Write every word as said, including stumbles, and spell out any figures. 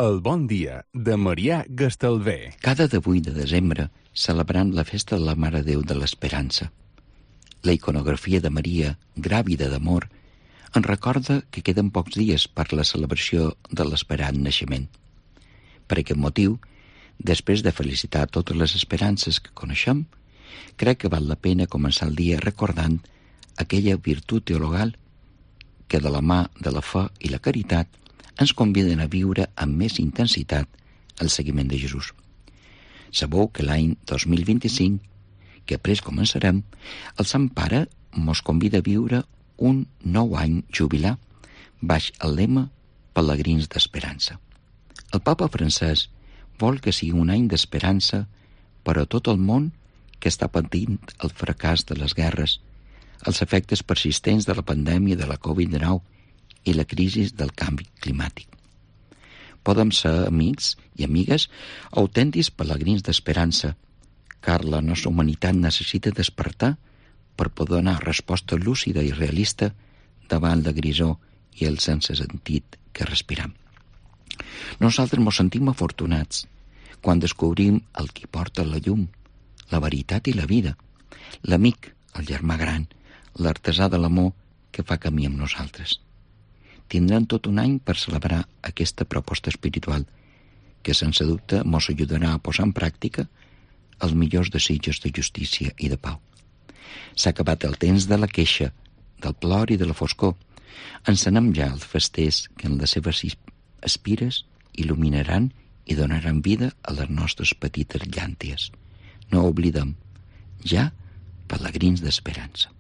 El bon dia de Marià Gastalver. Cada divuit de desembre celebrant la festa de la Mare de Déu de l'Esperança. La iconografia de Maria, gràvida d'amor, ens recorda que queden pocs dies per la celebració de l'esperat naixement. Per aquest motiu, després de felicitar totes les esperances que coneixem, crec que val la pena començar el dia recordant aquella virtut teologal que de la mà de la fe i la caritat ens conviden a viure amb més intensitat el seguiment de Jesús. Sabeu que l'any dos mil vint-i-cinc, que après començarem, el Sant Pare mos convida a viure un nou any jubilar baix el lema Pelegrins d'Esperança. El Papa francès vol que sigui un any d'esperança per a tot el món que està patint el fracàs de les guerres, els efectes persistents de la pandèmia de la covid dinou i la crisi del canvi climàtic. Podem ser amics i amigues autèntics pelegrins d'esperança, car la nostra humanitat necessita despertar per poder donar resposta lúcida i realista davant la grisor i el sense sentit que respiram. Nosaltres ens sentim afortunats quan descobrim el qui porta la llum, la veritat i la vida, l'amic, el germà gran, l'artesà de l'amor que fa camí amb nosaltres. Tindran tot un any per celebrar aquesta proposta espiritual que, sense dubte, mos ajudarà a posar en pràctica els millors desitjos de justícia i de pau. S'ha acabat el temps de la queixa, del plor i de la foscor. Encenem ja els festers que en les seves espires il·luminaran i donaran vida a les nostres petites llànties. No oblidem, ja, pelegrins d'esperança.